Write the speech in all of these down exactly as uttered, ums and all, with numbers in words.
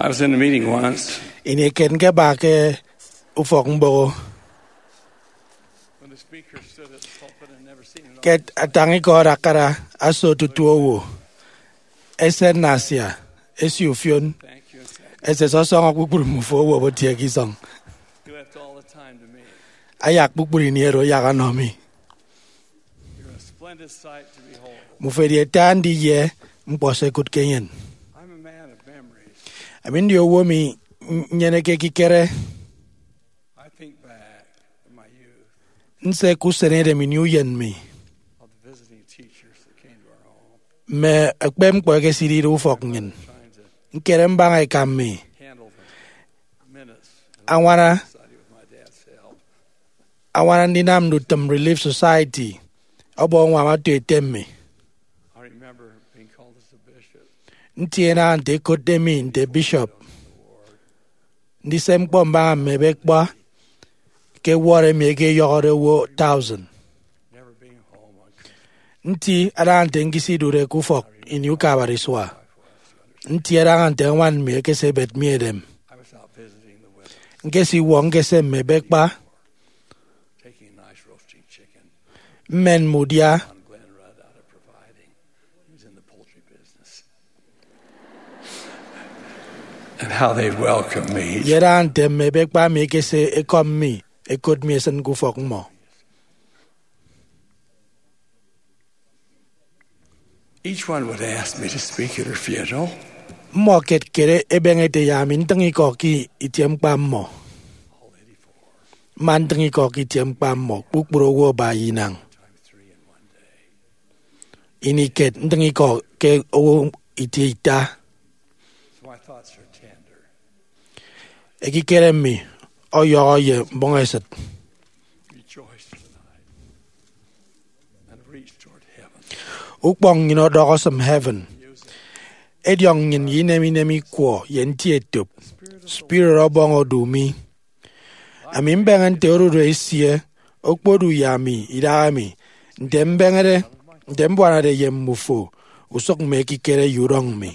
I was in a meeting once. Ini eken ñkeba ke ufọk mboho. When the speaker stood at the pulpit and never seen an ke atañ ikọ adakara aso tutu owo, ese nnasia, esie ufion, ese sọsọñọ kpukpru mmufo owo obotie ke isọñ. He left all the time to me. Ayak kpukpru ini oro yak ọnọ mi. You're a splendid sight to behold. Mufedi ete andi ye ñkpọ se kut ke enyen. I'm a man of memories. Ami ndi owo mi nyeneke ekikere. I think back to my youth. Nse ke usen edem ini uyen mi. Of the visiting teachers that came to our home. Mme ekpep ñkpọ ekesidi ido ufọk nnyịn. Trying to nkere mbaña eka mi. Handle the minutes. Añwana. Study with my dad's help. Añwana ndinam ndutịm Relief Society ọbọ uñwam ato ete mi. I remember being called as a bishop. Ntienyaña nte ẹkotde mi nte bishop ndise ñkpọ mbaña mme ebekpa ke ward emi ekeyọhọde owo thousand. Never being home on Christmas. Nti adaña nte ñkisidude ke ufọk ini ukabare isua. Nti adaña nte ñwan mi ekese ebet mi edem. I was out visiting the women. Ñkesiwọk ñkese mme ebekpa. Taking a nice roasting chicken. Mmen mme udia. John Glenn Rudd out of providing. He was in the poultry business. And how they welcomed me. Ye adaña nte mme ebekpa mi ekese ekọm mi, ẹkot mi ẹsịn ke ufọk mmọ. Each one would ask me to speak at her funeral. Mmọ kiet kiet ẹbeñe ẹte yak ami ntịñ ikọ ke itiemkpa mmọ. Mma ntịñ ikọ ke itiemkpa mmọ, kpukpru owo ẹba ye inañ. Ini kiet ntịñ ikọ ke owo itie ita. So my thoughts are tender. Ekikere mi ọyọhọ ye mbọñ esịt. Rejoice tonight and reach toward heaven. Ukpọñ nnyịn ọdọk ọsịm heaven. Ediọñ nnyịn ye inem inem ikwọ ye nti etop. Spirit Ọbọñ odu mi. Ami mbeñe nte odudu esie okpodu ye ami idahaemi, nte mbeñede, nte mbuanade ye mmufo usụk mme ekikere ye udọñ mi.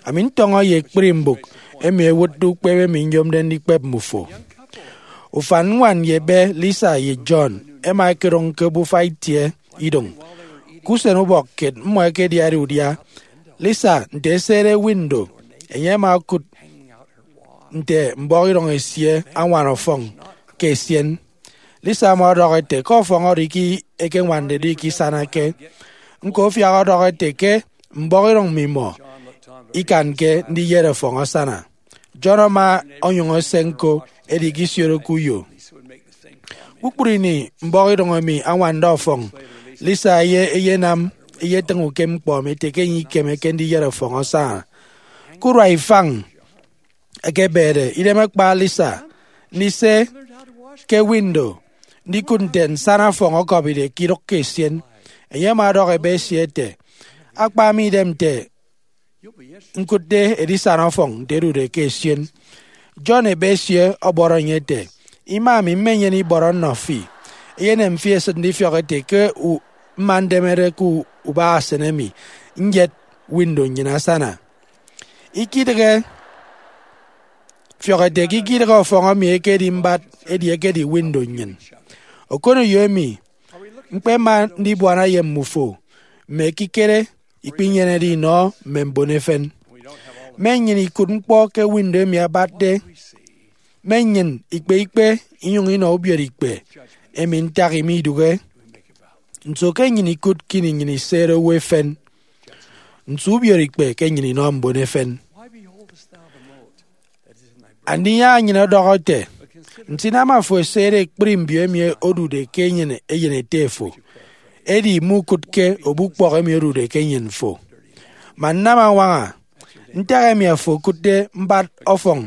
Ami ntọñọ ye ekpri mbụk emi ẹwụtde ukpep emi nyomde ndikpep mmufo. Ufan ñwan ye ebe Lisa ye John ẹma ẹkedụñ ke obufa itie idụñ. Ke usen ubọk kiet mmọ ẹkediade udia. Lisa, nte esede window, enye ama okụt nte mbọhọidụñ esie añwan ọfọñ ke esien. Lisa ama ọdọhọ ete ke ọfọñ oro eke ekeñwande do ikesanake. Ñko afiak ọdọhọ ete ke mbọhọidụñ mmimọ ikanke ndiyet ọfọñ asana. John ama onyụñ ese ñko, edi ke isioroke uyo. Kpukpru ini mbọhọidụñ emi añwande ọfọñ, Lisa ye eyenam eyetịñ ukem ñkpọ emi ete ke enye ikemeke ndiyet ọfọñ asana. Ke urua ifañ, ẹkebede idem ẹkpa Lisa ndise ke window ndikụt nte nsana ọfọñ ọkọbide ke idụk ke esien. Enye ama ọdọhọ ebe esie ete, akpa mi idem nte ñkụtde edisana ọfọñ nte ẹdude ke esien. John ebe esie ọbọrọ enye ete, ima mi mmenyene ibọrọ nnọ fi. Eyenem fi esịt ndifiọk ete ke u- mma ndemede ke u- ubahasene mi nyet window nnyịn asana. Ikidịghe, fiọk ete ke ikidịghe ọfọñ emi ekedi mbat edi ekedi window nnyịn. Okoneyo emi, ñkpema ndibuana ye mmufo mme ekikere ikpinyenede inọ mme mbon efen. Mme nnyịn ikụt ñkpọ ke window emi abatde. Mme nnyịn ikpe ikpe inyụñ inọ ubiereikpe emi ntak emi idụhe. Nso ke nnyịn ikụt ke ini nnyịn isede owo efen? Nso ubiereikpe ke nnyịn inọ mbon efen? Aniñyaña nnyịn ọdọhọ ete, nsinam afo esede ekpri mbio emi odude ke enyịn eyenete fo, edi mukụtke obukpọk emi odude ke enyịn fo. Man nnam añwaña, ntak emi afo okụtde mbat ọfọñ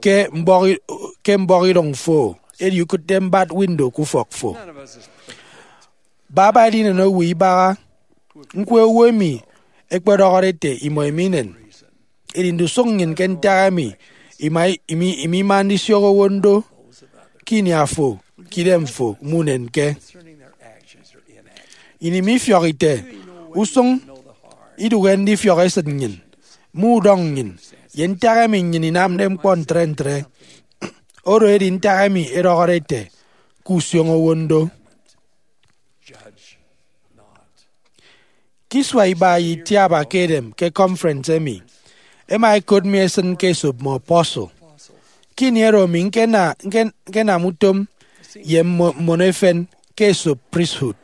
ke mbọk, ke mbọhọidụñ fo, edi ukụtde mbat window ke ufọk fo? Baba edinen owo ibaha. Ñkwe owo emi ẹkpedọhọde ete imọ iminen. Edi ndusụk nnyịn ke ntak emi ima, imi, imima ndisioho owo ndo ke ini afo ke idemfo munenke. Ini mifiọk ite usụñ idụhe ndifiọk esịt nnyịn, mme udọñ nnyịn, ye ntak emi nnyịn inamde ñkpọ ntre ntre. Oro edi ntak emi edọhọde ete, Kusioño owo ndo. Ke isua iba ye itiaba ke edem ke conference emi, ẹma ẹkot mi ẹsịn ke esop mme apostle. Ke ini oro ami ñkena- ñke- ñkenam utom ye mmo- mmon efen ke esop priesthood.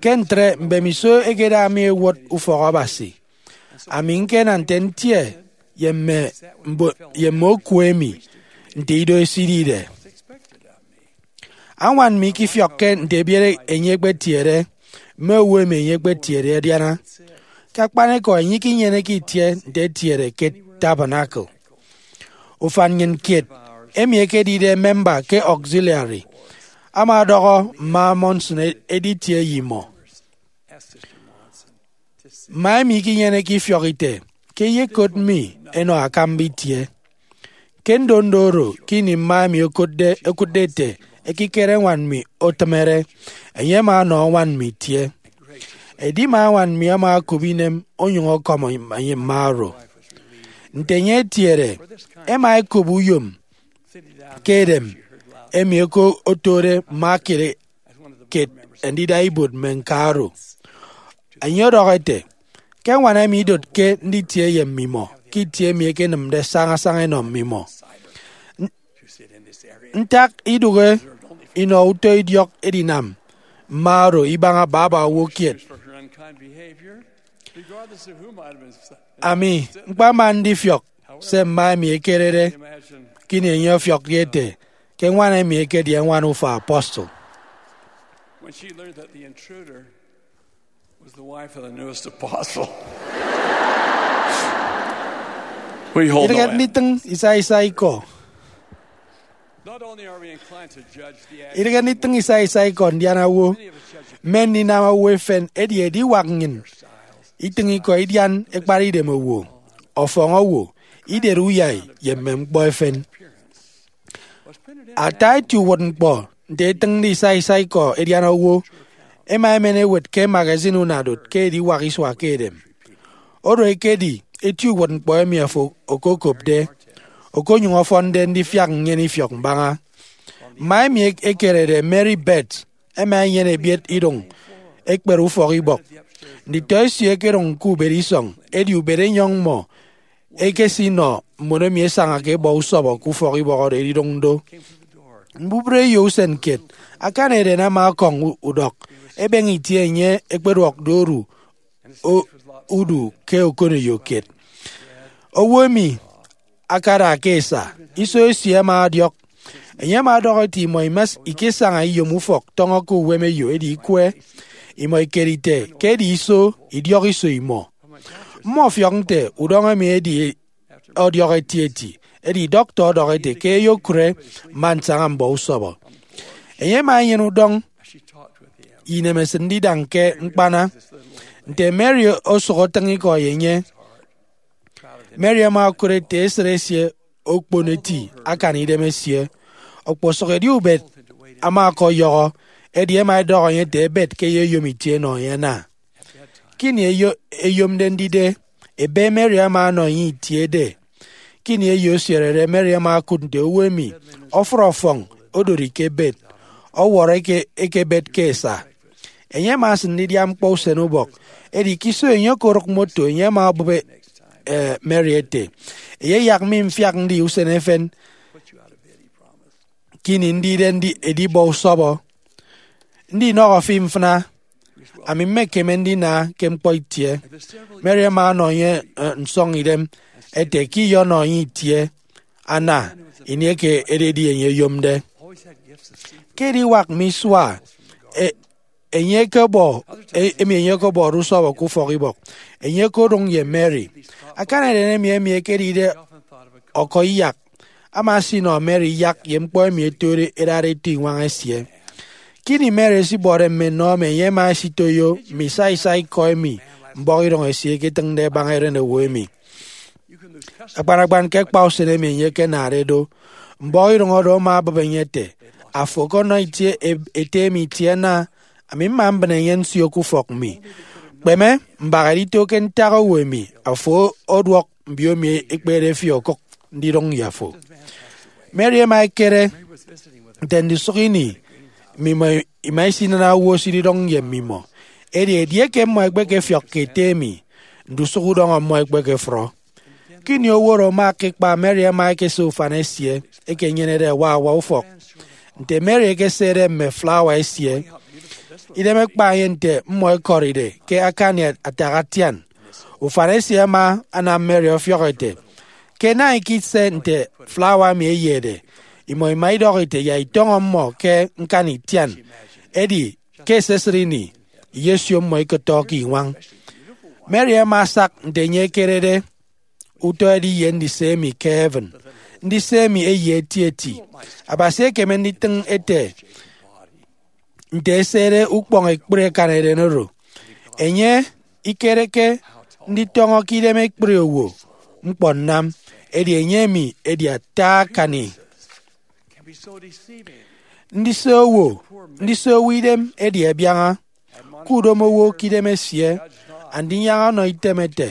Ke ntre, mbemiso ekeda mi ewot ufọk Abasi, ami ñkena nte ntie ye mme mbo- ye mme oku emi nte ido esidide. Añwan mi ikifiọkke nte ebiere enye ekpetiede mme owo emi enye ekpetiede adiana. Ke akpanikọ, enye ikinyeneke itie nte etiede ke tabernacle. Ufan nnyịn kiet, emi ekedide memba ke auxiliary, ama ọdọhọ mma Monson e- editie ye imọ. Mma emi ikinyeneke ifiọk ite ke iyekot mi ẹnọ akamba itie. Ke ndondo oro, ke ini mma emi okụtde okụtde ete ekikere ñwan mi otịmede, enye ama ọnọ ñwan mi itie. Edima ñwan mi ama okop inem onyụñ ọkọm enye mma oro. Nte enye etiede, ẹma ẹkop uyom ke edem emi eke otode mma kiet kiet ndida ibuot mme ñka oro. Enye ọdọhọ ete, ke ñwan emi idotke nditie ye mmimọ ke itie emi ekenịmde sañasaña enọ mmimọ. N- ntak idụhe inọ utọ idiọk edinam mma oro ibaña baba owo kiet? Ami ñkpama ndifiọk se mma emi ekerede ke ini enye ọfiọkde ete ke ñwan emi ekedi añwan ufak apostle. When she learned that the intruder was the wife of the newest apostle, we hold no Idịghe end. Nditịñ isaisa ikọ. Not only are we inclined to judge the act Idịghe nditịñ isaisa ikọ ndiana owo, mme ndinam owo efen, edi ediwak nnyịn itịñ ikọ idian ekpara idem owo, ọfọñ owo, idere uyai, ye mme ñkpọ efen. Ata eti uwụtñkpọ nte etịñde isaisa ikọ ediana owo ẹma ẹmen ẹwet ke magazine unadot ke ediwak isua ke edem. Oro ekedi eti uwụtñkpọ emi afo okokopde, okonyụñ ọfọnde ndifiak nnyene ifiọk mbaña. Mma emi ekerede Mary Beth ẹma ẹnyene ebiet idụñ ekpere ufọk ibọk. Nditọ esie ẹkedụñ ke ubet isọñ, edi ubet enyọñ mmọ ekesinọ mbon emi ẹsañake ẹbọ usọbọ ke ufọk ibọk oro edidụñ do. Mbubreyo usen kiet, akan eren ama ọkọñ u- udọk, ebeñe itie enye ekpeduọkde odu o- udu ke okoneyo kiet. Owo emi akada ke esa, iso esie ama ọdiọk. Enye ama ọdọhọ ete imọ imes- ikesaña iyom ufọk tọñọ ke uwemeyo edi ikwe. Imọ ikere ite ke edi iso idiọk iso imọ. Mmọfiọk nte udọñ emi edi ọdiọk etieti, edi dọkta ọdọhọ ete ke eyokụre mma nsaña mbọ usọbọ. Enye ama enyene udọñ inemesịt ndidañ ke ñkpana. Nte Mary osụk otịñ ikọ ye enye, Mary ama okụt ete esịt esie okpon eti akan idem esie. Okposụkedi ubet ama ọkọyọhọ, edi ẹma ẹdọhọ enye ete ebet ke eyeyom itie enọ enye ana. Ke ini eyo- eyomde ndide ebe, Mary ama ọnọ enye itie ede. Ke ini eyo osierede, Mary ama okụt nte owo emi ofụri ọfọñ odori ke bed, ọwọrọ eke- ekebet ke esa. Enye ama asịn ndidia ñkpọ usen ubọk, edi ke iso enye okodụk moto, enye ama obụp e- Mary ete, eyeyak mi mfiak ndi usen efen kini ndide ndi- edibọ usọbọ. Ndinọhọ fi mfịna, ami mmekeme ndina ke ñkpọ itie. Mary ama ọnọ enye eh, nsọñ idem ete ke iyọnọ enye itie ana ini eke ededi enye eyomde. Ke ediwak mi isua e- enye ekebọ e- emi enye ekebọde usọbọ ke ufọk ibọk, enye okodụñ ye Mary. Akan eren emi emi ekedide ọkọ iyak ama esinọ Mary iyak ye ñkpọ emi etode edade eto iñwañ esie. Ke ini Mary esibọde mme nnọ emi, enye ama esitoyo mme isaisa ikọ emi mbọhọidụñ esie eketịñde ẹbaña eren owo emi. Akpan akpan ke akpa usen emi enye ekenade do, mbọhọidụñ oro ama obụp enye ete, afo ọkọnọ itie e- ete emi itie ana, ami mma mbịne enye nsio ke ufọk mi. Kpeme mbak edito ke ntak owo emi afo ọduọk mbiomi ekpere fi okụk ndidụñ ye afo. Mary ema ekere nte ndusụk ini mmimọ ima isinana owo esididụñ ye mmimọ, edi edieke mmọ ẹkpekefiọkke ete emi, ndusụk udọñọ mmọ ẹkpekefrọ. Ke ini owo oro ama akekpa, Mary ama ekese ufan esie eke enyenede awa awa ufọk. Nte Mary ekesede mme flawa esie, idem ekpa enye nte mmọ ẹkọride ke akani atak atian. Ufan esie ama anam Mary ọfiọk ete, ke enaikit se nte flawa emi eyede, imọ ima idọhọ ite yak itọñọ mmọ ke ñkan itian, edi ke esesịt ini iyesio mmọ ikọtọ ke iñwañ. Mary ama asak nte enye ekerede utọ edi ye ndise emi ke heaven. Ndise emi eyie etieti. Abasi ekeme nditịñ ete nte esede ukpọñ ekpri akan eren oro. Enye ikereke nditọñọ ke idem ekpri owo ñkpọ nnam, edi enye emi edi ata akani. Ndise owo, ndise owo idem edi abiaña ke udomo owo ke idem esie, andinyaña ọnọ item ete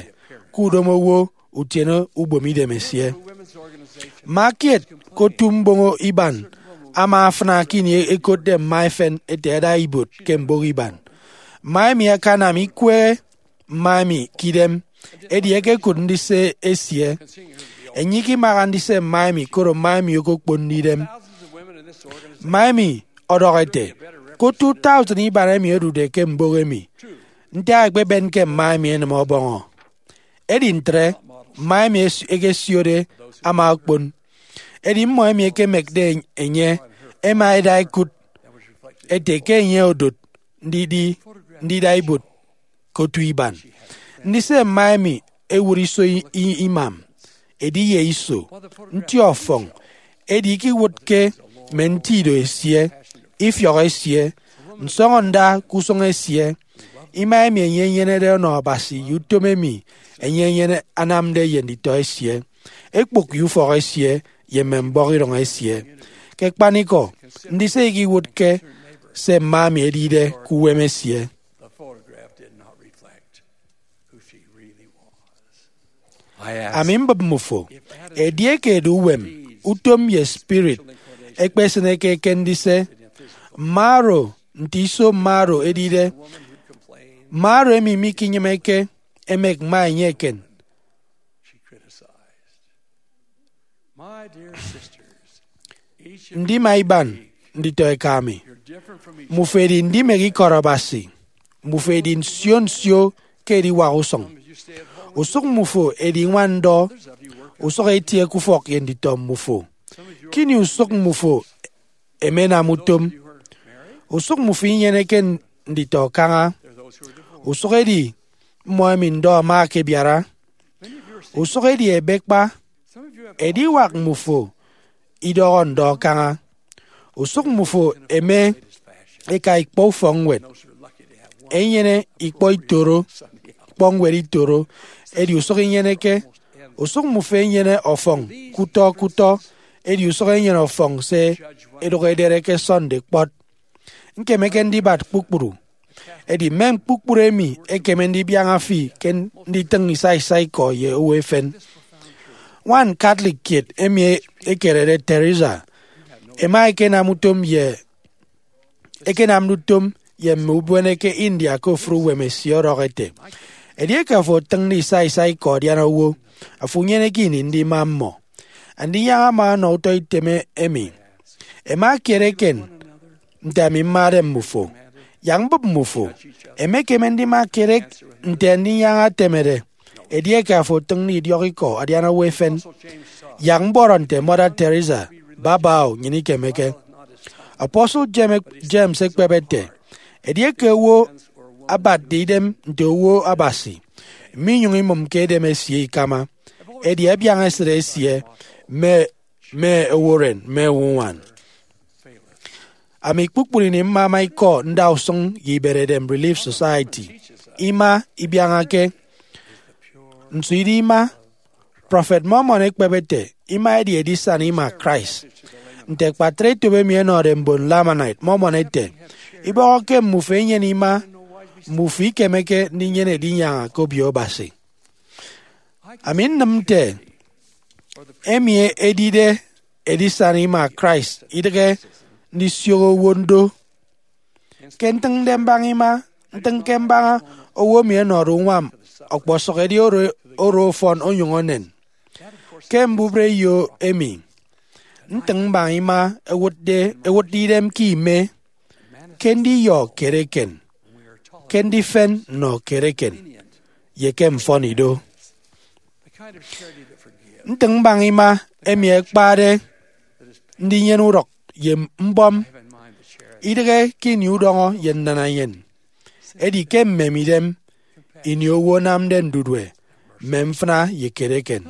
ke udomo owo utiene ubom idem esie. Mma kiet ke otu mboño iban ama afịna ke ini ẹkotde mma efen ete ẹda ibuot ke mbok iban. Mma emi akanam ikwe mma emi ke idem, edi ẹkekụt ndise esie. Enye ikimaha ndise mma emi, koro mma emi okokponde idem. Mma emi ọdọhọ ete, ke otu tausen iban emi ẹdude ke mbok emi, nte ẹkpebenke mma emi ẹnịm ọbọñọ. Edi ntre, mma emi es- ẹkesiode ama okpon. Edi mmọ emi ẹkemekde enye ẹma ẹda ẹkụt ete ke enye odot ndidi ndida ibuot ke otu iban. Ndise mma emi ewụt iso i- i- imam, ediye iso, nti ọfọñ, edi ikiwụtke mme nti ido esie, ifiọk esie, nsọñọnda ke usụñ esie, ima emi enye enyenede ọnọ Abasi ye utom emi enye enyene anamde ye nditọ esie, ekpụk ye ufọk esie ye mme mbọhọidụñ esie. Ke akpanikọ, ndise ikiwụtke se mma emi edide ke uwem esie. Ami mbịp mmufo, edieke edu uwem, utom, ye spirit ekpesịneke eke ndise mma oro nte iso mma oro edide, mma oro emi mikinyịmeke emek mma enye eken. Ndima iban nditọ eka mi. Mmufo edi ndimek ikọt Abasi. Mmufo edi nsio nsio ke ediwak usụñ. Usụk mmufo edi ñwan ndọ. Usụk etie ke ufọk ye nditọ mmufo. Kini usụk mmufo emenam utom. Usụk mmufo inyeneke nditọ kaña. Usụk edi mmọ emi ndọ ama akebiara. Usụk edi ebekpa. Ediwak mmufo idọhọ ndọ kaña. Usụk mmufo eme eka ikpọ ufọkñwed, enyene ikpọ itoro, ikpọ ñwed itoro, edi usụk inyeneke. Usụk mmufo enyene ọfọñ ke utọ ke utọ, edi usụk enyene ọfọñ se edụk edere ke Sunday kpọt. Ñkemeke ndibat kpukpru, edi mme kpukpru emi ekeme ndibiaña fi ke nditịñ isaisaikọ ye owo efen. Ñwan Catholic kiet emi ekerede Teresa ema ekenam utom ye ekenamde utom ye mme ubuene ke India ke ofụri uwem esie ọdọhọ ete, edieke afo otịñde isaisaikọ adiana owo, afo unyeneke ini ndima mmọ. Andinyaña ama ọnọ utọ item emi, ema kiet eken nte ami mmade mmufo. Yak mbịp mmufo, emekeme ndima kiet nte andinyaña etemede edieke afo otịñde idiọk ikọ adiana owo efen. Yak mbọrọ nte Mother Teresa, Baba o, nnyịn ikemeke. Apostle James, James ekpep ete, edieke owo abatde idem nte owo Abasi, minyụñ imụmke edem esie ikama, edi abiaña esịt esie, mme mme owo eren mme owo uñwan. Ami kpukpru ini mmama ikọ ndausụñ ye iberedem Relief Society. Ima ibiañake. Nso idi ima? Prọfet Mormon ekpep ete, ima edi edisana ima Christ. Nte akpatre etop emi ẹnọde mbon Lamanite, Mormon ete, ibọhọke mmufo enyene ima, mmufo ikemeke ndinyene edinyaña ke obio Abasi. Ami nnịm nte emi edide edisana ima Christ idịghe ndisioho owo ndo. Ke ntịñde mbaña ima, ntịñke mbaña owo emi ọnọde uñwam ọkpọsọk edi oro, oro ọfọn onyụñ onen. Ke mbubreyo emi, ntịñ mbaña ima ewụtde, ewụtde idem ke ime, ke ndiyọ kiet eken, ke ndifen nnọ kiet eken, ye ke mfọnido. Ntịñ mbaña ima emi ẹkpade ndinyene urọk ye mbọm, idịghe ke ini udọñọ ye nnanaenyịn, edi ke mmemidem ini owo anamde ndudue mme mfịna ye kiet eken.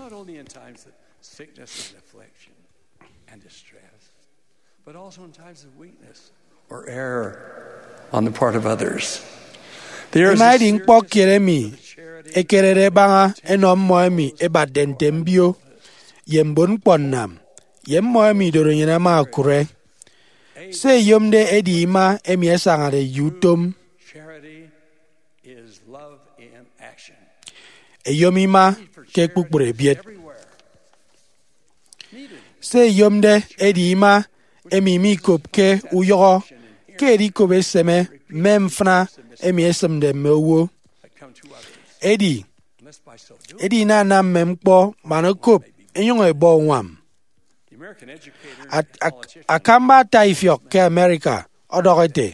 But also in times of weakness or error on the part of others. Ima edi ñkpọ kiet emi ekerede ẹbaña ẹnọ mmọ emi ẹbatde nte mbio ye mbon ñkpọ nnam, ye mmọ emi idorenyin ẹma ẹkụre. Se ẹyomde edi ima emi ẹsañade ye utom. Is love in action. Ẹyom ima ke kpukpru ebiet. Se ẹyomde edi ima emi mikopke uyọhọ ke edikop eseme mme mfịna emi ẹsịmde mme owo. Edi, edi inana mme ñkpọ man okop, enyụñ ebọ uñwam. Akamba ata ifiọk ke America ọdọhọ ete,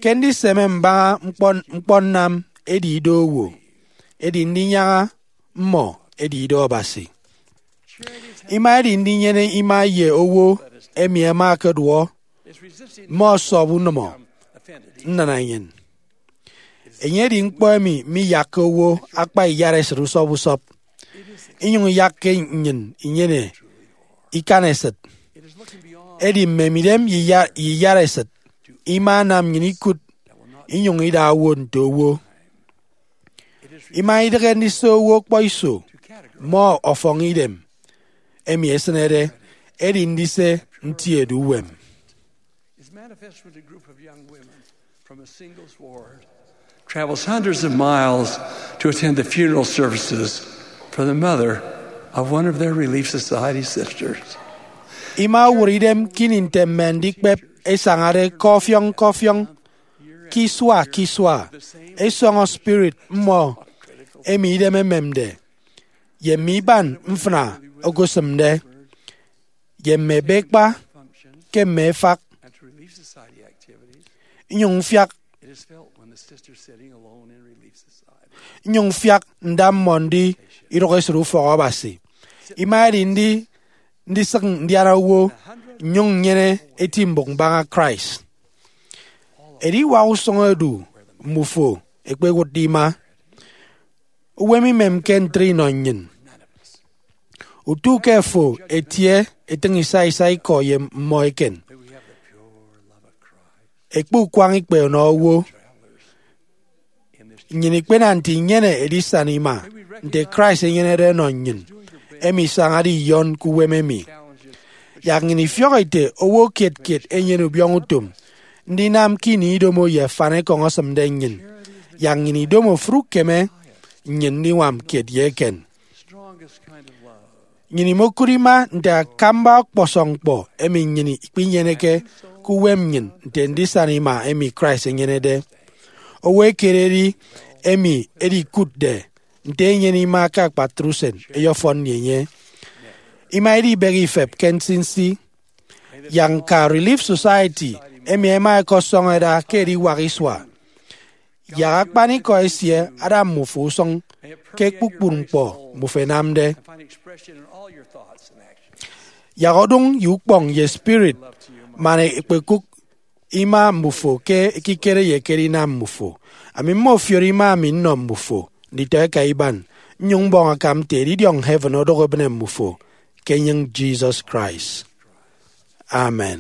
ke ndiseme mbaña ñkpọ nnam edi ido owo, edi ndinyaña mmọ edi ido Abasi. Ima edi ndinyene ima ye owo emi ẹma ẹkeduọ mme ọsọp unịmọ nnanaenyịn. Enye edi ñkpọ emi miyakke owo akpa iyaresịt usọp usọp, inyụñ iyakke nnyịn inyene ikan esịt. Edi mmemidem ye iyaresịt ima anam nnyịn ikụt inyụñ ida owo nte owo. Ima idịghe ndise owo ọkpọiso mme ọfọñidem emi esịnede, edi ndise nti edu uwem. Is manifest when a group of young women from a singles ward travels hundreds of miles to attend the funeral services for the mother of one of their Relief Society sisters. Ima owụt idem ke ini nte mme andikpep ẹsañade ke ọfiọñ ke ọfiọñ, ke isua ke isua, ẹsọñọ spirit mmọ emi idem ememde, ye mme iban mfịna okosịmde, ye mme ebekpa ke mme efak, inyụñ mfiak, inyụñ mfiak nda mmọ ndi idụk esịt ufọk Abasi. Ima edi ndi ndisịk ndiana owo nnyụñ nnyene eti mbụk mbaña Christ. Ediwak usụñ edu, mmufo ẹkpewụtde ima. Uwem imemke ntre inọ nnyịn. Utu ke afo etie etịñ isai isai ikọ ye mmọ eken, ẹkpe ukwañ ikpe ọnọ owo. Nnyịn ikpena nte inyene edisana ima nte Christ enyenede ẹnọ nnyịn, emi isañade iyọn ke uwem emi. Yak nnyịn ifiọk ete owo kiet kiet ẹnyene ubiọñutom ndinam ke ini idomo ye afan ekọñ esịmde nnyịn. Yak nnyịn idomo ofụri ukeme nnyịn ndiñwam kiet ye eken. Nnyịn imokụt ima nte akamba ọkpọsọñ ñkpọ emi nnyịn ikpenyeneke ke uwem nnyịn nte ndisana ima emi Christ enyenede. Owo ekededi emi edikụtde nte enyene ima ke akpatre usen eyọfọn ye enye. Ima idibehe ifep ke nsinsi. Yak ñka Relief Society emi ẹma ẹkọsọñ ẹda ke ediwak isua. Yak akpanikọ esie ada mmufo usụñ ke kpukpru ñkpọ mmufo ẹnamde. Yak odụñ ye ukpọñ ye spirit man ẹkpekụk ima mbufo ke ekikere ye ekedi inam mbufo. Ami mmofiori ima mi nnọ mbufo nditọeka iban, nnyụñ mbọñ akam nte edidiọñ heaven odụk ebịne mbufo ke enyịñ Jesus Christ. Amen.